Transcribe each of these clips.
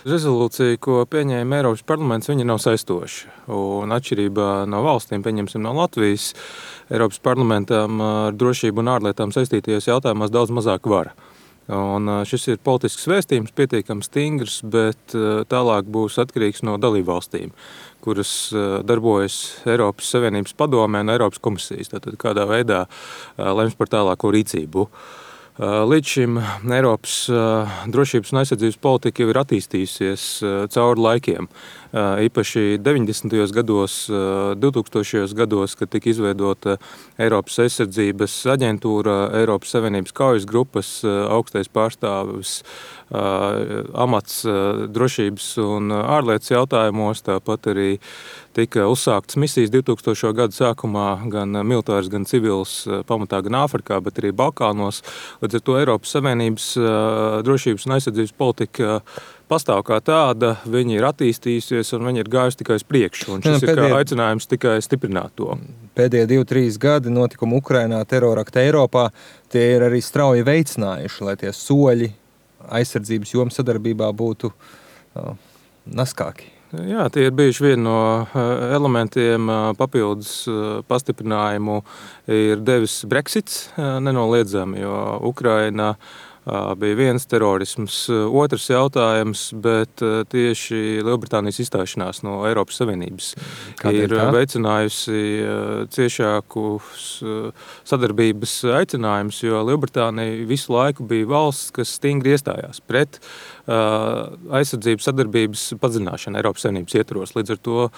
Rezolūcija, ko pieņēma Eiropas parlaments, viņa nav saistoša. Un atšķirībā no valstīm, pieņemsim no Latvijas, Eiropas parlamentam ar drošību un ārlietām saistītajos jautājumos daudz mazāk vara. Un šis ir politisks vēstījums, pietiekami stingrs, bet tālāk būs atkarīgs no dalībvalstīm, kuras darbojas Eiropas Savienības padomē un Eiropas komisijas. Tātad kādā veidā lems par tālāko rīcību. Līdz šim Eiropas drošības un aizsardzības politika jau ir attīstījusies cauri laikiem. Īpaši 90. gados, 2000. gados, kad tika izveidota Eiropas aizsardzības aģentūra, Eiropas Savienības kaujas grupas augstais pārstāvis amats drošības un ārlietas jautājumos, tāpat arī tika uzsāktas misijas 2000. gadu sākumā gan militāras, gan civils, pamatā gan Āfrikā, bet arī Balkānos. Līdz ar to Eiropas Savienības drošības un aizsardzības politika pastāv kā tāda, viņi ir attīstījusies un viņi ir gājusi tikai uz priekšu. Un šis ir kā aicinājums tikai stiprināt to. Pēdējie 2-3 gadi notikumi Ukrainā, terorakti Eiropā, tie ir arī strauji veicinājuši, lai tie soļi aizsardzības jomas sadarbībā būtu naskāki. Jā, tie ir bijuši vieni no elementiem, papildus pastiprinājumu ir devis Brexits nenoliedzami, jo Ukraina bija viens terorisms, otrs jautājums, bet tieši Lielbritānijas izstāšanās no Eiropas Savienības ir veicinājusi ciešākus sadarbības aicinājumus, jo Lielbritānija visu laiku bija valsts, kas stingri iestājās pret aizsardzības sadarbības padziļināšanu Eiropas Savienības ietvaros. Līdz ar to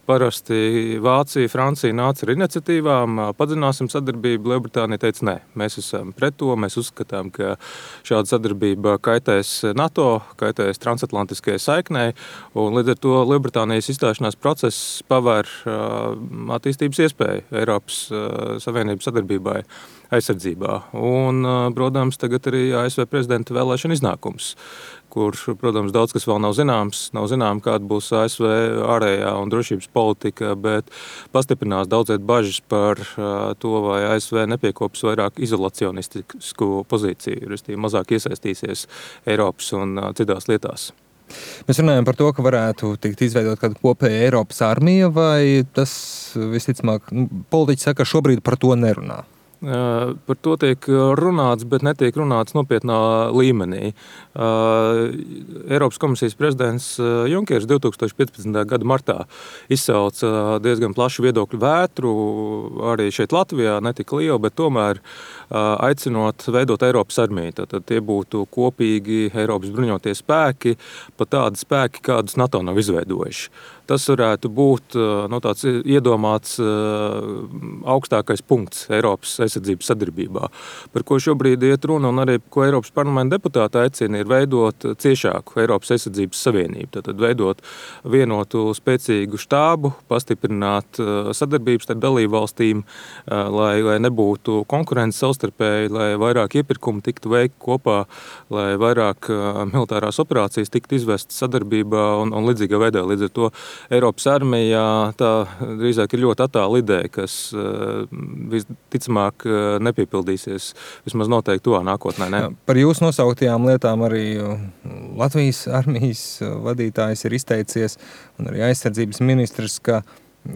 parasti Vācija, Francija nāca ar iniciatīvām, padziļināsim sadarbību. Lielbritānija teica, nē, mēs esam pret to, mēs uzskatām, ka šāda sadarbība kaitēs NATO, kaitēs transatlantiskajai saiknei, un līdz ar to Lielbritānijas izstāšanās process pavēr attīstības iespēju Eiropas Savienības sadarbībai aizsardzībā. Un, protams, tagad arī ASV prezidenta vēlēšana iznākums, kur, protams, daudz kas vēl nav zināms. Nav zinām, kāda būs ASV ārējā un drošības politika, bet pastiprinās daudziet bažas par to, vai ASV nepiekops vairāk izolacionistisku pozīciju, restīvi mazāk iesaistīsies Eiropas un citās lietās. Mēs runājam par to, ka varētu tikt izveidot kāda kopēja Eiropas armija, vai tas visticamāk, politiķi saka, ka šobrīd par to nerunā? Par to tiek runāts, bet netiek runāts nopietnā līmenī. Eiropas komisijas prezidents Junkers 2015. gada martā izsauca diezgan plašu viedokļu vētru, arī šeit Latvijā, ne tik lielu, bet tomēr aicinot veidot Eiropas armiju. Tad tie būtu kopīgi Eiropas bruņotie spēki, pat tādi spēki, kādus NATO nav izveidojuši. Tas varētu būt tāds iedomāts augstākais punkts Eiropas aizsardzības sadarbībā, par ko šobrīd iet runa, un arī, ko Eiropas parlamenta deputāti aicina, ir veidot ciešāku Eiropas aizsardzības savienību. Tātad veidot vienotu spēcīgu štābu, pastiprināt sadarbības starp dalībvalstīm, lai nebūtu konkurences savstarpēji, lai vairāk iepirkumu tiktu veikti kopā, lai vairāk militārās operācijas tiktu izvestas sadarbībā un līdzīgā veidā. Līdz ar to Eiropas armijā tā drīzāk ir ļoti attāla ideja, kas visticamāk nepiepildīsies, vismaz noteikti tuvā nākotnē. Ne? Par jūsu nosauktajām lietām arī Latvijas armijas vadītājs ir izteicies, un arī aizsardzības ministrs, ka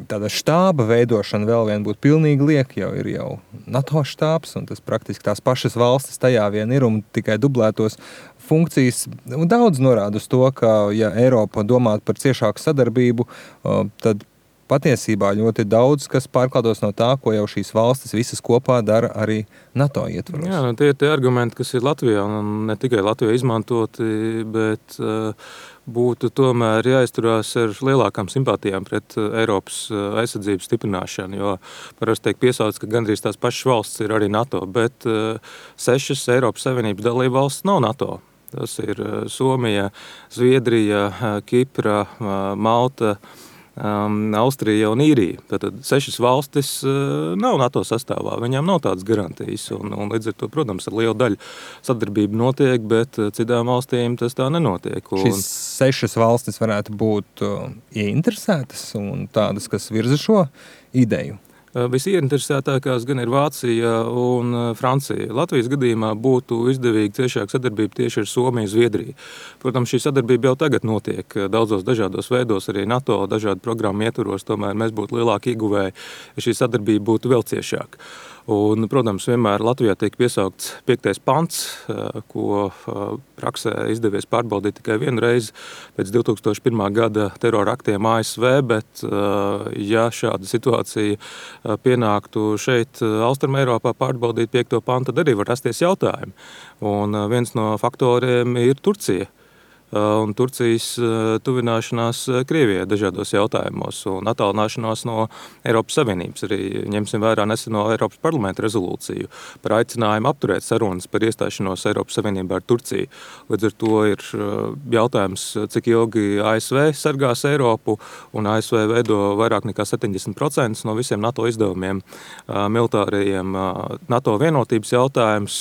tāda štāba veidošana vēl vien būtu pilnīgi lieka, ir jau NATO štābs, un tas praktiski tās pašas valstis tajā vien ir, un tikai dublētos funkcijas. Daudz norāda uz to, ka ja Eiropa domātu par ciešāku sadarbību, tad patiesībā ļoti daudz, kas pārklātos no tā, ko jau šīs valstis visas kopā dara arī NATO ietvaros. Jā, tie ir tie argumenti, kas ir Latvijā, un ne tikai Latvijā izmantoti, bet būtu tomēr jāizturās ar lielākām simpātijām pret Eiropas aizsardzības stiprināšanu, jo parasti tiek piesaucts, ka gandrīz tās pašas valsts ir arī NATO, bet 6 Eiropas Savienības dalība valsts nav NATO. Tas ir Somija, Zviedrija, Kipra, Malta, Austrija un Īrija. Tātad 6 valstis nav NATO sastāvā, viņām nav tādas garantijas. Un līdz ar to, protams, ar lielu daļu sadarbība notiek, bet citām valstīm tas tā nenotiek. Šīs 6 valstis varētu būt ieinteresētas un tādas, kas virza šo ideju? Visieinteresētākās gan ir Vācija un Francija. Latvijas gadījumā būtu izdevīga ciešāka sadarbība tieši ar Somiju un Zviedriju. Protams, šī sadarbība jau tagad notiek daudzos dažādos veidos, arī NATO dažādu programmu ietvaros, tomēr mēs būtu lielāki ieguvēji, ja šī sadarbība būtu vēl ciešāka. Un, protams, vienmēr Latvijā tiek piesaukts 5. pants, ko praksē izdevies pārbaudīt tikai vienu reizi pēc 2001. gada terora aktiem ASV, bet ja šāda situācija pienāktu šeit Austrum Eiropā pārbaudīt 5. pantu, tad arī var rasties jautājumi. Un viens no faktoriem ir Turcija. Un Turcijas tuvināšanās Krievijai dažādos jautājumos un attālināšanās no Eiropas Savienības. Arī ņemsim vērā neseno Eiropas parlamenta rezolūciju par aicinājumu apturēt sarunas par iestāšanos Eiropas Savienībā ar Turciju. Līdz ar to ir jautājums, cik ilgi ASV sargās Eiropu, un ASV veido vairāk nekā 70% no visiem NATO izdevumiem militārajiem. NATO vienotības jautājums,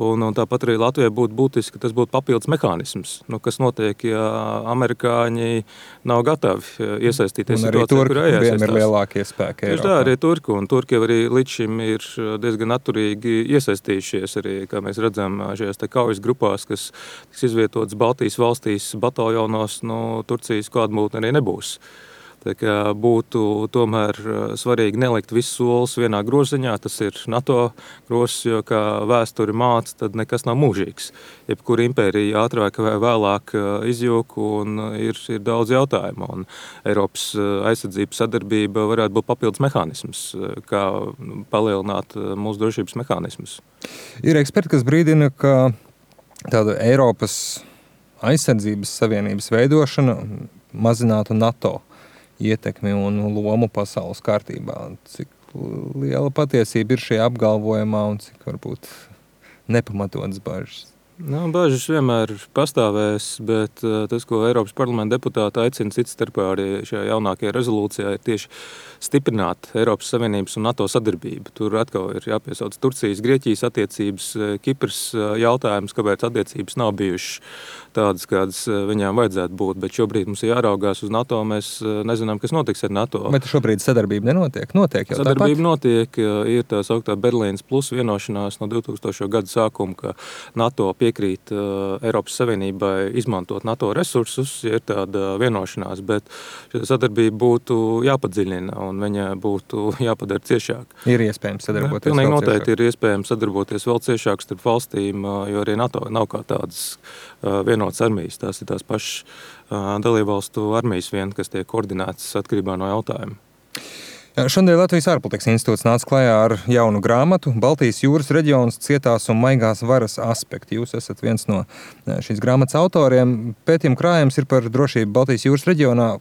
un tāpat arī Latvijai būtu būtiski, ka tas būtu papildus mehānisms. Kas notiek, ja amerikāņi nav gatavi iesaistīties situācijā, kurā jāiesaistās. Ir lielākie spēki Eiropā. Tieši tā, arī Turki, un Turki arī līdz šim ir diezgan atturīgi iesaistījušies, arī, kā mēs redzam, šajās kaujas grupās, kas tiks izvietotas Baltijas valstīs bataljonos, Turcijas klātbūtne arī nebūs. Tā kā būtu tomēr svarīgi nelikt visus solus vienā groziņā, tas ir NATO grozs, jo kā vēsturi māca, tad nekas nav mūžīgs. Jebkura impērija ātrāk vai vēlāk izjūg un ir daudz jautājumu. Un Eiropas aizsardzības sadarbība varētu būt papildus mehānisms, kā palielināt mūsu drošības mehānismus. Ir eksperti, kas brīdina, ka tāda Eiropas aizsardzības savienības veidošana mazinātu NATO ietekmi un lomu pasaules kārtībā. Cik liela patiesība ir šajā apgalvojumā un cik varbūt nepamatotas bažas? Bažas vienmēr pastāvēs, bet tas, ko Eiropas parlamenta deputāti aicina cits starpā arī šajā jaunākajā rezolūcijā, ir tieši stiprināt Eiropas Savienības un NATO sadarbību. Tur atkal ir jāpiesauc Turcijas, Grieķijas attiecības, Kipras jautājums, kāpēc attiecības nav bijušas tādas, kādas viņām vajadzētu būt, bet šobrīd mums ir jāraugās uz NATO, mēs nezinām, kas notiks ar NATO. Bet šobrīd sadarbība nenotiek? Notiek jau sadarbība tāpat? Notiek, ir tā sauktā Berlīnas plus vienošanās no 2000. gada sākuma, ka NATO piekrīt Eiropas Savienībai izmantot NATO resursus, ja ir tāda vienošanās, bet šī sadarbība būtu jāpadziļina un viņa būtu jāpadara ciešāk. Ir iespējams sadarboties pilnīgi vēl noteikti ciešāk. Ir iespējams sadarboties vēl ciešāk starp valstīm, jo arī NATO nav kā tādas vienotas armijas. Tās ir tās pašas dalībvalstu armijas vien, kas tiek koordinētas atkarībā no jautājuma. Šodien Latvijas ārpolitikas institūts nāca klajā ar jaunu grāmatu Baltijas jūras reģions cietās un maigās varas aspekti. Jūs esat viens no šīs grāmatas autoriem. Pētījuma krājums ir par drošību Baltijas jūras reģionā.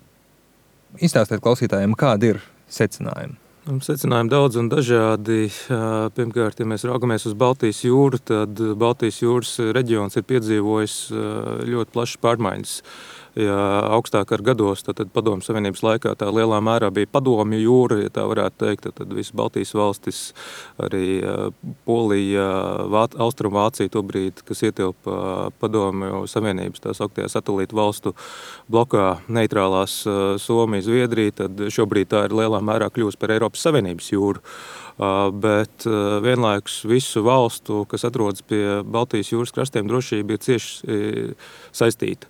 Izstāstiet klausītājiem, kādi ir secinājumi? Secinājumi daudz un dažādi. Pirmkārt, ja mēs raugamies uz Baltijas jūru, tad Baltijas jūras reģions ir piedzīvojis ļoti plašas pārmaiņas. Ja augstāk ar gados, tad Padomju Savienības laikā tā lielā mērā bija padomju jūra, ja tā varētu teikt, tad visas Baltijas valstis, arī Polija, Austrumvācija tobrīd, kas ietilpa Padomju Savienības tā sauktajā satelītu valstu blokā, neitrālās Somija, Zviedrija, tad šobrīd tā ir lielā mērā kļūst par Eiropas Savienības jūru. Bet vienlaikus visu valstu, kas atrodas pie Baltijas jūras krastiem, drošība ir cieši saistīta.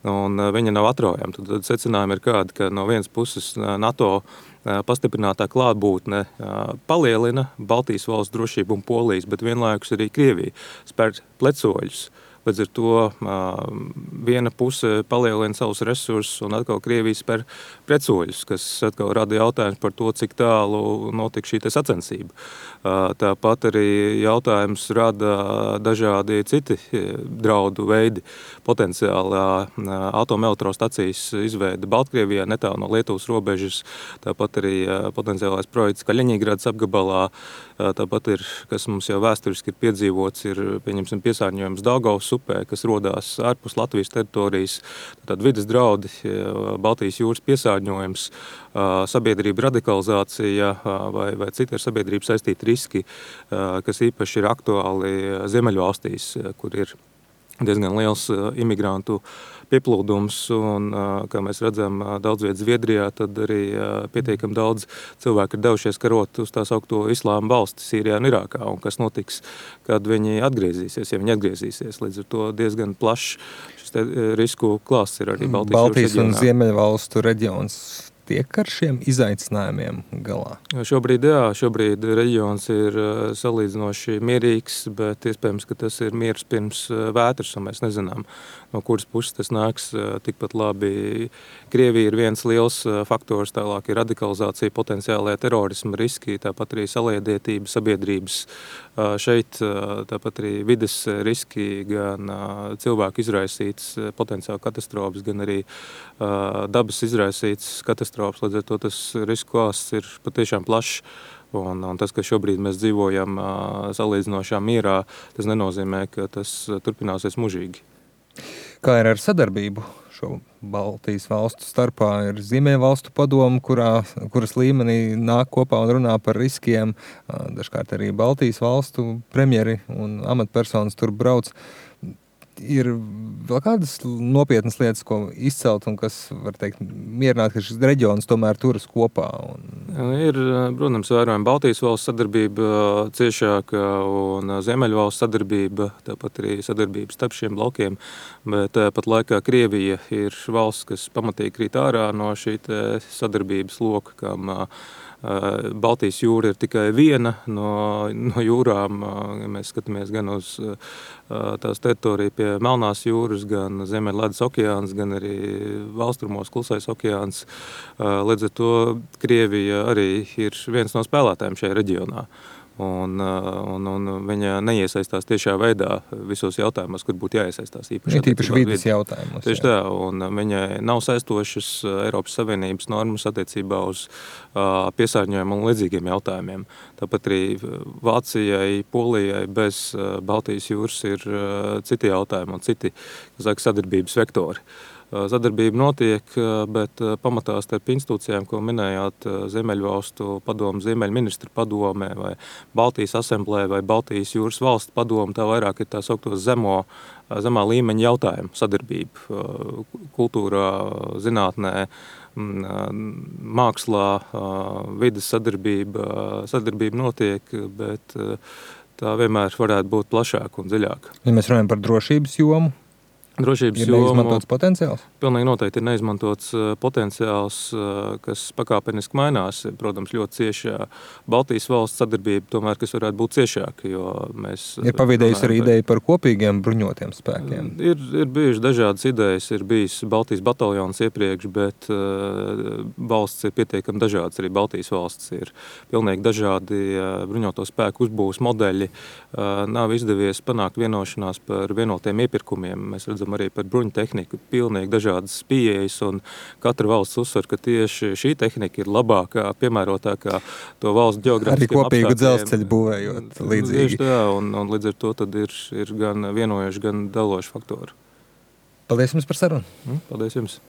Un viņa nav atraujama. Tad secinājumi ir kādi, ka no vienas puses NATO pastiprinātā klātbūtne palielina Baltijas valsts drošību un Polijas, bet vienlaikus arī Krievija spēr plecoļus. Līdz ar to viena puse palielina savus resursus un atkal Krievija spēr pretsoļus, kas atkal rada jautājums par to, cik tālu notika šī sacensība. Tāpat arī jautājums rada dažādi citi draudu veidi. Potenciālā atomelektrostacijas izveida Baltkrievijā netālu no Lietuvas robežas, tāpat arī potenciālais projekts Kaļiņģeradas apgabalā, tāpat ir, kas mums jau vēsturiski ir piedzīvots, ir pieņemsim piesārņojums Daugavas upē, kas rodās ārpus Latvijas teritorijas, tad vides draudi, Baltijas jūras piesārņojums, sabiedrība radikalizācija vai citi ar sabiedrību saistīti riski, kas īpaši ir aktuāli Ziemeļvalstīs, kur ir diezgan liels imigrantu pieplūdums, un, kā mēs redzam, daudz vietas Zviedrijā, tad arī pietiekami daudz cilvēku ir devušies karot uz tā saukto islāma valsti Sīrijā un Irākā, un kas notiks, kad viņi atgriezīsies, ja viņi atgriezīsies. Līdz ar to diezgan plašs šis risku klāsts ir arī Baltijas un Ziemeļvalstu reģions tiek ar šiem izaicinājumiem galā? Šobrīd reģions ir salīdzinoši mierīgs, bet iespējams, ka tas ir miers pirms vētras, un mēs nezinām, no kuras puses tas nāks. Tikpat labi Krievija ir viens liels faktors, tālāk ir radikalizācija, potenciālajā terorisma riski, tāpat arī saliedētība sabiedrības šeit, tāpat arī vides riski, gan cilvēku izraisīts potenciāli katastrofas, gan arī dabas izraisīts katastrofas. Līdz ar to tas risku klāsts ir patiešām plašs. Un tas, ka šobrīd mēs dzīvojam salīdzinošā mierā, tas nenozīmē, ka tas turpināsies mūžīgi. Kā ir ar sadarbību šo Baltijas valstu starpā? Ir Ziemeļvalstu padome, kuras līmenī nāk kopā un runā par riskiem. Dažkārt arī Baltijas valstu premjeri un amatpersonas tur brauc. Ir vēl kādas nopietnas lietas, ko izcelt un kas, var teikt, mierināt, ka šis reģions tomēr turas kopā? Ir, protams, vērojama Baltijas valsts sadarbība ciešāka un Ziemeļvalsts sadarbība, tāpat arī sadarbība starp šiem blokiem, bet pat laikā Krievija ir valsts, kas pamatīgi krīt ārā no šī sadarbības loka, kam Baltijas jūra ir tikai viena no jūrām. Mēs skatāmies gan uz tās teritoriju pie Melnās jūras, gan Ziemeļledus okeāns, gan arī valstrumos Klusais okeāns. Līdz ar to Krievija arī ir viens no spēlētājiem šajā reģionā. Un viņa neiesaistās tiešā veidā visos jautājumos, kur būtu jāiesaistās īpaši vides jautājumos. Tieši tā, un viņai nav saistošas Eiropas Savienības normas attiecībā uz piesārņojumu un līdzīgiem jautājumiem. Tāpat arī Vācijai, Polijai bez Baltijas jūras ir citi jautājumi un citi, sadarbības vektori. Sadarbība notiek, bet pamatā starp institūcijām, ko minējāt, Ziemeļvalstu padomu, Ziemeļministru padome vai Baltijas asemblēja vai Baltijas jūras valstu padome, tā vairāk ir tā saukto zemā līmeņa jautājumu sadarbība. Kultūrā, zinātnē, mākslā, vides sadarbība notiek, bet tā vienmēr varētu būt plašāka un dziļāka. Ja mēs runājam par drošības jomu, ir neizmantots potenciāls? Pilnīgi noteikti ir neizmantots potenciāls, kas pakāpeniski mainās. Protams, ļoti ciešā Baltijas valsts sadarbība, tomēr, kas varētu būt ciešāka, jo mēs... Ir pavidējusi arī ideja par kopīgiem bruņotiem spēkiem? Ir bijušas dažādas idejas, ir bijis Baltijas bataljons iepriekš, bet valsts ir pietiekami dažādas. Arī Baltijas valsts ir pilnīgi dažādi bruņoto spēku uzbūves modeļi. Nav izdevies panākt vienošanās par vienotiem iepirkumiem. Mēs redzam arī par bruņu tehniku pilnīgi dažādas pieejas, un katra valsts uzsver, ka tieši šī tehnika ir labākā, piemērotākā to valsts ģeogrāfiskiem apstākļiem. Arī kopīgu dzelzceļu būvējot līdzīgi. Tieši tā, un līdz ar to tad ir gan vienojuši, gan daloši faktori. Paldies jums par sarunu. Paldies jums.